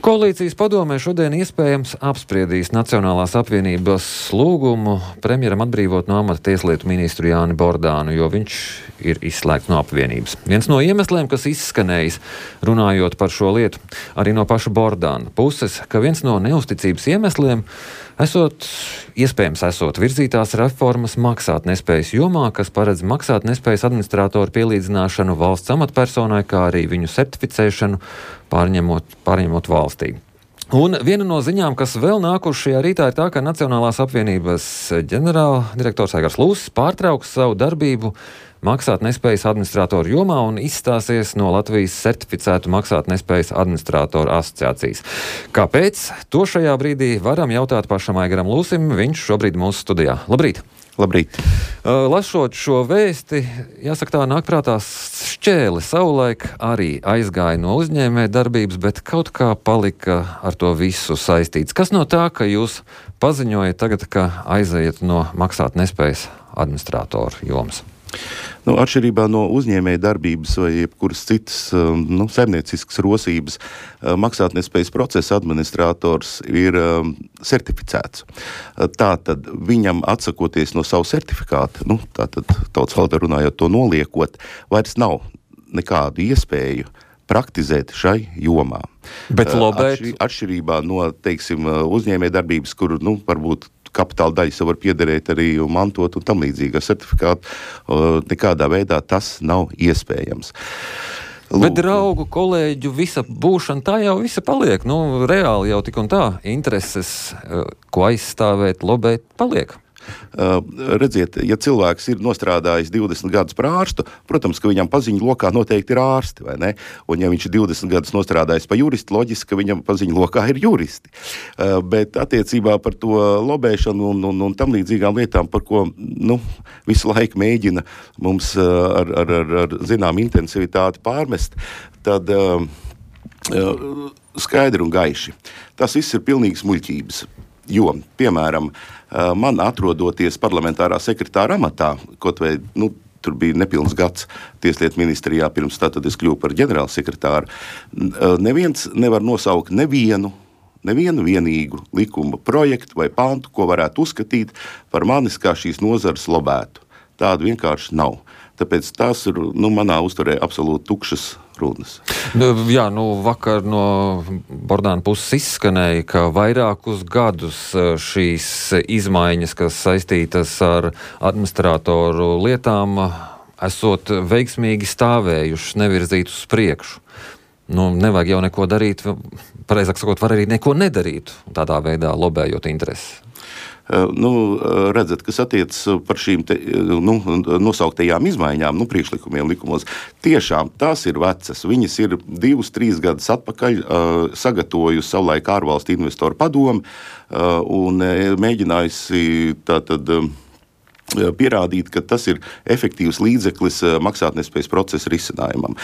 Koalīcijas padomē šodien iespējams apspriedīs Nacionālās apvienības lūgumu premjeram atbrīvot no amata tieslietu ministru Jāni Bordānu, jo viņš ir izslēgts no apvienības. Viens no iemesliem, kas izskanējis, runājot par šo lietu, arī no paša Bordāna puses, ka viens no neusticības iemesliem iespējams esot virzītās reformas maksātnespējas jomā, kas paredz maksātnespējas administratoru pielīdzināšanu valsts amatpersonai, kā arī viņu certificēšanu pārņemot valstī. Un viena no ziņām, kas vēl nākuši šajā rītā, ir tā, ka Nacionālās apvienības ģenerāldirektors Aigars Lūsis pārtrauks savu darbību maksātnespējas administratoru jomā un izstāsies no Latvijas certificētu maksātnespējas administratoru asociācijas. Kāpēc? To šajā brīdī varam jautāt pašam Aigaram Lūsim, viņš šobrīd mūsu studijā. Labrīt! Labrīt! Lasot šo vēsti, jāsaka tā, nāk prātā Šķēle savulaik arī aizgāja no uzņēmē darbības, bet kaut kā palika ar to visu saistīts. Kas no tā, ka jūs paziņojat tagad, ka aiziet no maksātnespējas administratoru jomas? Atšķirībā no uzņēmēja darbības vai jebkuras citas saimnieciskas rosības, maksātnespējas procesa administrators ir certificēts. Tātad viņam atsakoties no savu certifikātu, tātad tautas valodā runājot to noliekot, vairs nav nekādu iespēju praktizēt šai jomā. Bet lobēt? Atšķirībā no, uzņēmēja darbības, kur, varbūt kapitāla daļa jau var piederēt arī mantot un tam līdzīgi ar certifikātu, nekādā veidā tas nav iespējams. Bet draugu, kolēģu, visa būšana, tā jau visa paliek. Reāli jau tik un tā intereses, ko aizstāvēt, lobēt, paliek. Redziet, ja cilvēks ir nostrādājis 20 gadus par ārstu, protams, ka viņam paziņu lokā noteikti ir ārsti, vai ne? Un ja viņš ir 20 gadus nostrādājis pa juristu, loģiski, ka viņam paziņu lokā ir juristi. Bet attiecībā par to lobēšanu un tam līdzīgām lietām, par ko visu laiku mēģina mums ar zinām intensivitāti pārmest, tad skaidri un gaiši. Tas viss ir pilnīgas muļķības. Jo, piemēram, man atrodoties parlamentārā sekretāra amatā, kaut vai, tur bija nepilns gads tieslietu ministrijā, pirms tātad es kļuvu par ģenerālsekretāru, neviens nevar nosaukt nevienu vienīgu likuma projektu vai pantu, ko varētu uzskatīt par manis kā šīs nozares lobētu. Tādu vienkārši nav. Tāpēc tās ir, manā uzturē absolūti tukšas runas. Vakar no Bordāna puses izskanēja, ka vairākus gadus šīs izmaiņas, kas saistītas ar administratoru lietām, esot veiksmīgi stāvējušas, nevirzītas uz priekšu. Nevajag jau neko darīt, pareizāk sakot, var arī neko nedarīt, tādā veidā lobējot intereses. Redzat, kas attiecas par šīm nosauktajām izmaiņām, priekšlikumiem likumos, tiešām tās ir vecas. Viņas ir 2-3 gadus atpakaļ sagatavojusi savulaik ārvalstu investoru padomu un mēģinājusi tātad pierādīt, ka tas ir efektīvs līdzeklis maksātnespējas procesa risinājumam.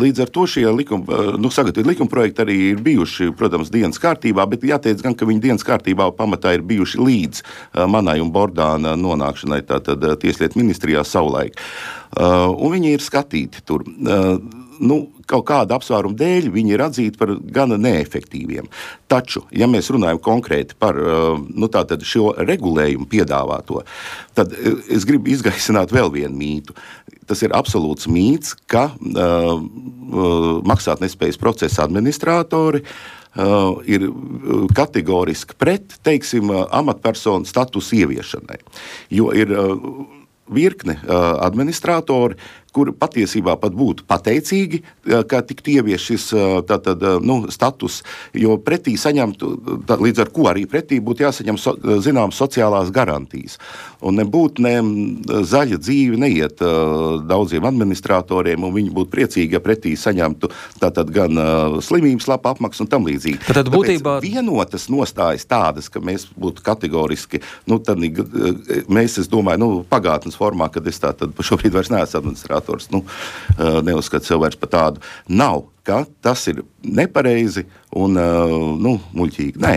Līdz ar to šie sagatavot likumprojekti arī ir bijuši, protams, dienas kārtībā, bet jāteic gan, ka viņi dienas kārtībā pamatā ir bijuši līdz manai un Bordāna nonākšanai tātad tieslietu ministrijā savulaik. Un viņi ir skatīti tur. Kaut kāda apsvēruma dēļ viņi ir atzīti par gana neefektīviem. Taču, ja mēs runājam konkrēti par tātad šo regulējumu piedāvāto, tad es gribu izgaisināt vēl vienu mītu. Tas ir absolūts mīts, ka maksātnespējas procesa administratori ir kategoriski pret, amatpersonu statusu ieviešanai. Jo ir virkne administratori, kur patiesībā pat būtu pateicīgi, ka tiktu ievies šis status, jo pretī saņemtu, līdz ar ko arī pretī būtu jāsaņem zināmas sociālās garantijas. Un nebūtu zaļa dzīve neiet daudziem administratoriem, un viņi būtu priecīgi, ja pretī saņemtu tātad gan slimības lapa apmaksu un tam līdzīgi. Tad būtībā vienotas nostājas tādas, ka mēs būtu kategoriski, tad mēs, es domāju, pagātnes formā, kad es tātad šobrīd vairs neesmu administrators, neuzskatu sev vairs par tādu, nav, ka tas ir nepareizi un muļķīgi. Nē.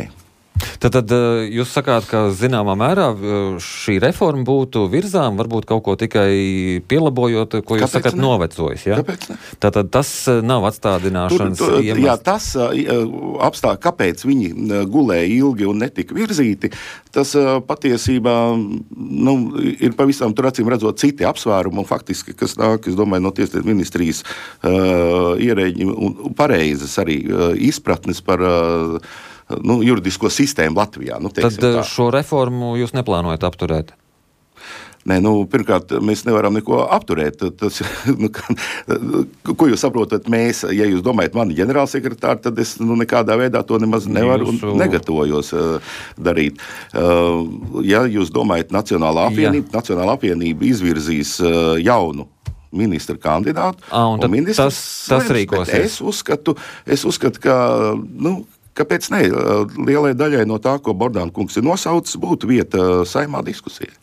Tad jūs sakāt, ka zināmā mērā šī reforma būtu virzām, varbūt kaut ko tikai pielabojot, ko jūs sakat novecojis, ja? Kāpēc ne? Tātad tas nav atstādināšanas iemesls. Jā, tas apstākļi, kāpēc viņi gulēja ilgi un netika virzīti, tas patiesībā ir pavisam tur acīm redzot citi apsvērumi, un faktiski, kas nāk, es domāju, no Tieslietu ministrijas ierēģi un pareizes arī izpratnes par juridisko sistēmu Latvijā. Tad šo reformu jūs neplānojat apturēt? Nē, pirmkārt, mēs nevaram neko apturēt. Tas, ko jūs saprotat mēs, ja jūs domājat mani ģenerālsekretāri, tad es nekādā veidā to nemaz nevaru un negatavojos darīt. Ja jūs domājat Nacionālā apvienība izvirzīs jaunu ministra kandidātu, un ministrs tas rīkosies. Es uzskatu, ka, kāpēc ne, lielai daļai no tā, ko Bordāna kungs ir nosaucis, būtu vieta Saeimā diskusijai.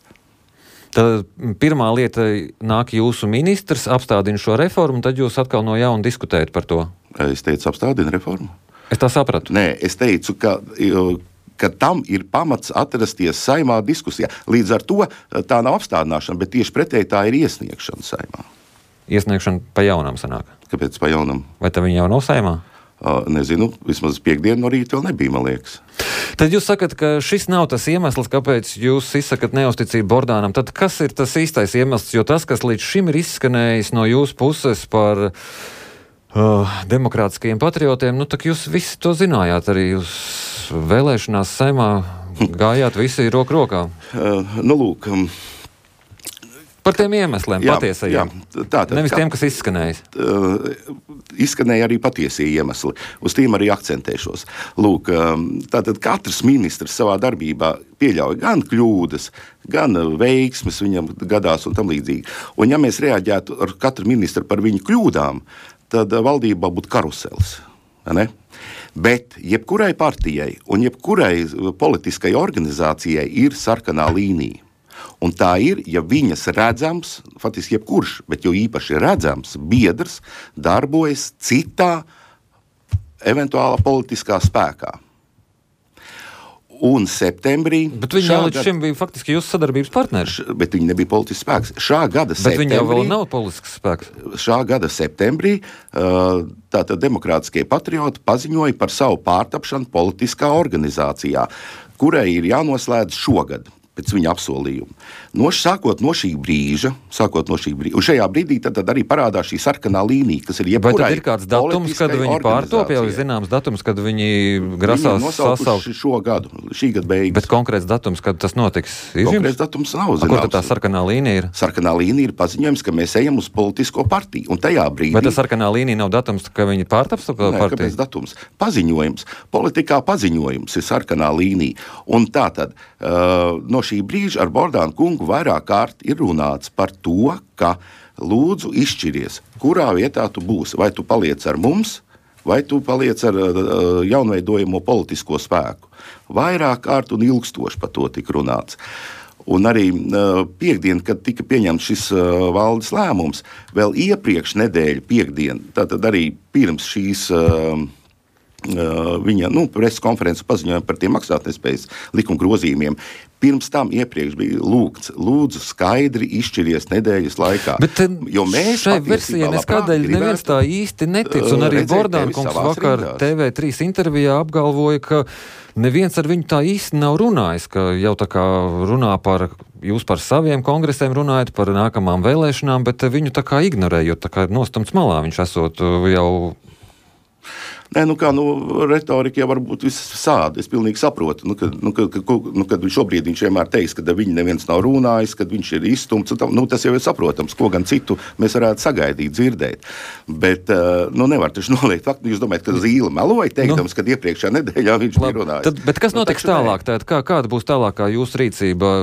Tad pirmā lieta nāk jūsu ministrs, apstādina šo reformu, tad jūs atkal no jauna diskutējat par to. Es teicu, apstādina reformu. Es tā sapratu. Nē, es teicu, ka tam ir pamats atrasties Saeimā diskusijā. Līdz ar to tā nav apstādināšana, bet tieši pretēji tā ir iesniegšana Saeimā. Iesniegšana pa jaunam sanāk. Kāpēc pa jaunam? Vai tā viņa jau nav Saeimā? Nezinu, vismaz piekdienu no rīta vēl nebija, man liekas. Tad jūs sakat, ka šis nav tas iemesls, kāpēc jūs izsakat neusticību Bordānam. Tad kas ir tas īstais iemesls? Jo tas, kas līdz šim ir izskanējis no jūsu puses par demokrātiskajiem patriotiem, tak jūs visi to zinājāt. Arī jūs vēlēšanās Saeimā gājāt visi roku rokā. Lūk... Par tiem iemesliem, patiesajiem. Nevis tiem, kas izskanējis. Izskanēja arī patiesie iemesli. Uz tiem arī akcentēšos. Lūk, tātad katrs ministrs savā darbībā pieļauj gan kļūdas, gan veiksmes viņam gadās un tam līdzīgi. Un ja mēs reaģētu ar katru ministru par viņu kļūdām, tad valdībā būtu karuselis. Ne? Bet jebkurai partijai un jebkurai politiskai organizācijai ir sarkanā līnija. Un tā ir, ja viņas redzams, faktiski jebkurš, bet jo īpaši redzams, biedrs darbojas citā eventuālā politiskā spēkā. Un septembrī... Bet viņi jau līdz šim bija faktiski jūsu sadarbības partneri. Bet viņi nebija politisks spēks. Šā gada septembrī... Bet viņi jau vēl nav politisks spēks. Šā gada septembrī tātad demokrātiskie patrioti paziņoja par savu pārtapšanu politiskā organizācijā, kurai ir jānoslēdz šogad. Pēc viņa apsolījuma. Sākot no šī brīža, un šajā brīdī tad arī parādās šī sarkanā līnija, kas ir jebkurai. Vai tad ir kāds datums, kad viņi pārtop, jau ir zināms datums, kad viņi grasās sasaukt šo gadu, šī gada beigas. Bet konkrēts datums, kad tas notiks? Konkrēts datums nav zināms. Kur tad tā sarkanā līnija ir? Sarkanā līnija ir paziņojums, ka mēs ejam uz politisko partiju, un tajā brīdī... Vai tā sarkanā līnija nav datums, ka viņi pārtaps partiju? Nē, kāpēc datums? Paziņojums. Politikā paziņojums ir sarkanā līnija. Un tātad, no šī brīža ar Bordānu kungu vairāk kārt ir runāts par to, ka lūdzu izšķiries, kurā vietā tu būsi. Vai tu paliec ar mums, vai tu paliec ar jaunveidojamo politisko spēku. Vairāk kārt un ilgstoši par to tika runāts. Un arī piekdien, kad tika pieņemts šis valdes lēmums, vēl iepriekš nedēļu piekdien, tātad arī pirms šīs... viņa preses konferences paziņoja par tiem maksātnespējas likuma grozījumiem. Pirms tam iepriekš bija lūgts, lūdzu skaidri izšķiries nedēļas laikā. Bet šai versijai neskādēļ neviens tā īsti netic, un arī Bordāna kungs vakar TV3 intervijā apgalvoja, ka neviens ar viņu tā īsti nav runājis, ka jau tā kā runā jūs par saviem kongresiem runājat, par nākamām vēlēšanām, bet viņu tā kā ignorējot, tā kā nostamts malā viņš esot jau... Nē, retorika jau var būt visāda. Es pilnīgi saprotu, kad šobrīd viņš vienmēr teiks, ka viņi neviens nav runājis, kad viņš ir izstumts. Tas jau ir saprotams, ko gan citu mēs varētu sagaidīt, dzirdēt. Bet nevar taču noliegt faktu. Jūs domājat, ka Zīle meloja, teikdams, kad iepriekšējā nedēļā viņš bija runājis. Bet kas notiks tālāk? Kāda būs tālākā jūsu rīcība?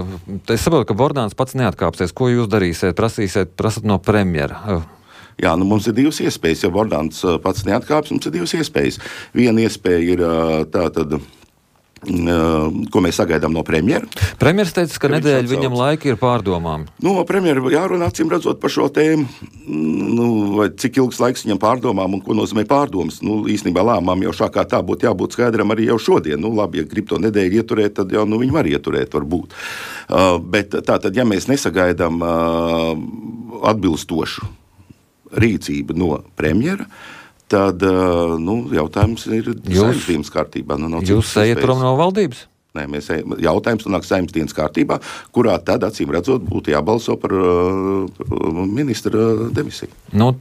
Es saprotu, ka Bordāns pats neatkāpsies. Ko jūs darīsiet? Prasat no premjera? Jā, mums ir divas iespējas. Ja Bordāns pats neatkāps, mums ir divas iespējas. Viena iespēja ir tātad ko mēs sagaidām no premjera. Premjeras teica, ka nedēļa viņam laika ir pārdomām. Premjera jārunā acīm redzot par šo tēmu, vai cik ilgs laiks viņam pārdomām un ko nozīmē pārdomas. Īstenībā lēmumam jau šā kā tā būtu jābūt skaidram arī jau šodien. Labi, ja grib to nedēļu ieturēt, tad jau viņi var ieturēt, varbūt. Bet tātad, ja mēs nesagaidām atbilstošu rīcību no premjera, tad jautājums ir Saeimas dienas kārtībā. Jūs ejat prom no valdības? Nē, jautājums nonāk Saeimas dienas kārtībā, kurā tad, acīm redzot, būtu jābalso par ministra demisiju.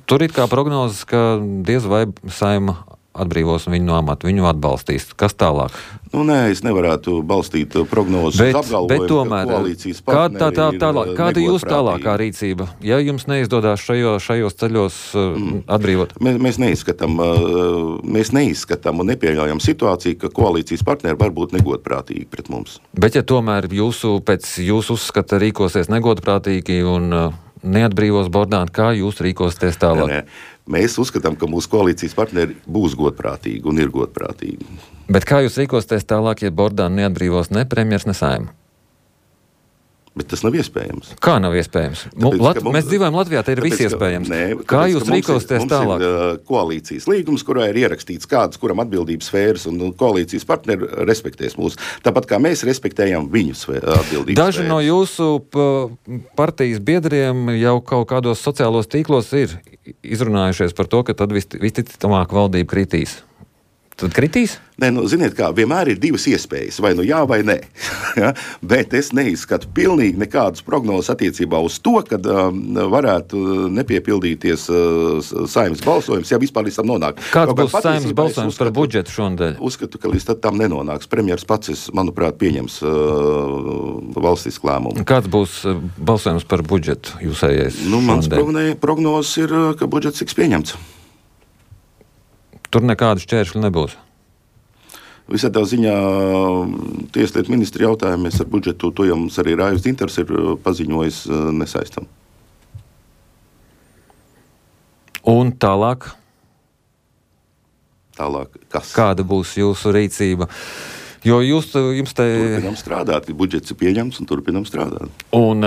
Tur ir kā prognozes, ka diez vai Saeima atbrīvos viņu no amata, viņu atbalstīs. Kas tālāk? Nē, es nevarētu balstīt prognozes uz apgalvojumu, tomēr, ka koalīcijas partneri kāda jūs tālākā rīcība? Ja jums neizdodas šajos ceļos atbrīvot? Mēs neizskatām un nepieļaujam situāciju, ka koalīcijas partneri var būt negodprātīgi pret mums. Bet ja tomēr pēc jūsu uzskata rīkosies negodprātīgi un neatbrīvos Bordānu, kā jūs rīkosieties tālāk? Nē. Mēs uzskatām, ka mūsu koalīcijas partneri būs godprātīgi un ir godprātīgi. Bet kā jūs rīkosieties tālāk, ja Bordānu neatbrīvos ne premjers, ne Saeima? Bet tas nav iespējams. Kā nav iespējams? Mēs dzīvojam Latvijā, te ir viss iespējams. Kā jūs rīkosieties tālāk? Mums ir koalīcijas līgums, kurā ir ierakstīts kādas, kuram atbildības sfēras, un koalīcijas partneri respektēs mūs. Tāpat kā mēs respektējam viņu atbildības Daži sfēras. no jūsu partijas biedriem jau kaut kādos sociālos tīklos ir izrunājušies par to, ka tad visticamāk valdība kritīs. Tad kritīs? Nē, ziniet kā, vienmēr ir divas iespējas, vai jā, vai nē. Bet es neizskatu pilnīgi nekādas prognozes attiecībā uz to, kad varētu nepiepildīties Saeimas balsojums, ja vispār līdz tam nonāk. Kāds būs Saeimas balsojums par budžetu šonadēļ? Uzskatu, ka līdz tam nenonāks. Premjers pats, manuprāt, pieņems valstisku lēmumu. Kāds būs balsojums par budžetu jūsējais? Mans prognozes ir, ka budžets tiks pieņemts. Tur nekādu šķēršļu nebūs. Visādā ziņā tieslietu ministri jautājumies ar budžetu, to jau mums arī Raivs Dzintars ir paziņojis nesaistam. Un tālāk? Tālāk kas? Kāda būs jūsu rīcība? Jo jums te... Turpinām strādāt, budžets ir pieņemts un turpinām strādāt. Un,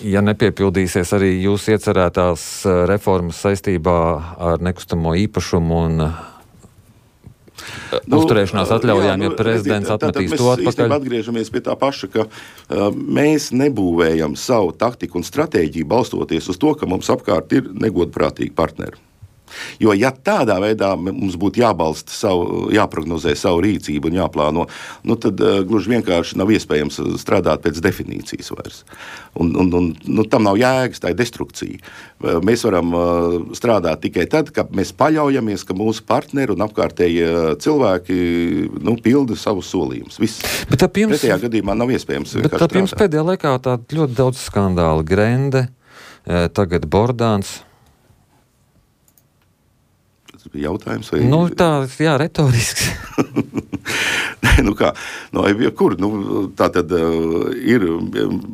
ja nepiepildīsies arī jūs iecerētās reformas saistībā ar nekustamo īpašumu un uzturēšanās atļaujām, ja prezidents atmetīs to atpakaļ? Mēs īstenībā atgriežamies pie tā paša, ka mēs nebūvējam savu taktiku un stratēģiju balstoties uz to, ka mums apkārt ir negodprātīgi partneri. Jo, ja tādā veidā mums būtu jāprognozē savu rīcību un jāplāno, tad gluži vienkārši nav iespējams strādāt pēc definīcijas vairs. Un tam nav jēgas, tā ir destrukcija. Mēs varam strādāt tikai tad, kad mēs paļaujamies, ka mūsu partneri un apkārtēji cilvēki pilda savus solījumus. Viss. Pretējā gadījumā nav iespējams vienkārši strādāt. Bet jums pēdējā laikā tā ļoti daudz skandāli. Grende, tagad Bordāns. Jautājums vai... retorisks. Tā tad ir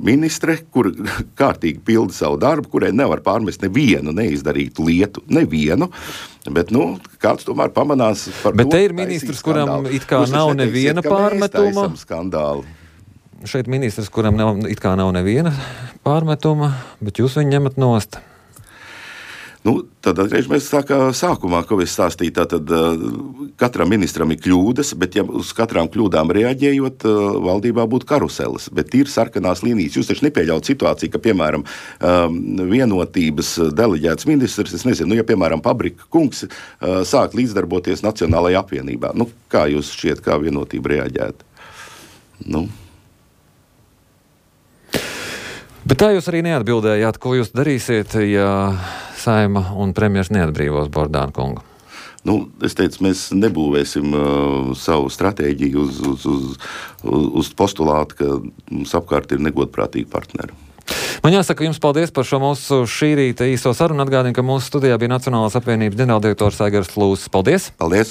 ministre, kur kārtīgi pilda savu darbu, kurai nevar pārmest nevienu neizdarītu lietu, nevienu, bet, kāds tomēr pamanās par bet to. Bet te ir ministrs, kuram it kā nav neviena pārmetuma. Šeit ministrs, kuram it kā nav neviena pārmetuma, bet jūs viņu ņemat nost. Tad atgriežamies tā kā sākumā, ko es stāstīju, tātad katram ministram ir kļūdas, bet ja uz katrām kļūdām reaģējot, valdībā būtu karuseles, bet ir sarkanās līnijas. Jūs taču nepieļaut situāciju, ka, piemēram, vienotības deleģēts ministrs, es nezinu, ja, piemēram, Pabrika kungs sāk līdzdarboties Nacionālajā apvienībā. Kā jūs šķiet, kā vienotība reaģēt? Bet tā jūs arī neatbildējāt, ko jūs darīsiet, ja Saeima un premjers neatbrīvos Bordānu kungu? Es teicu, mēs nebūvēsim savu stratēģiju uz postulātu, ka mums apkārt ir negodprātīgi partneri. Man jāsaka jums paldies par šo mūsu šī rīta īso sarunu. Atgādinu, ka mūsu studijā bija Nacionālās apvienības ģenerāldirektors Aigars Lūsis. Paldies! Paldies!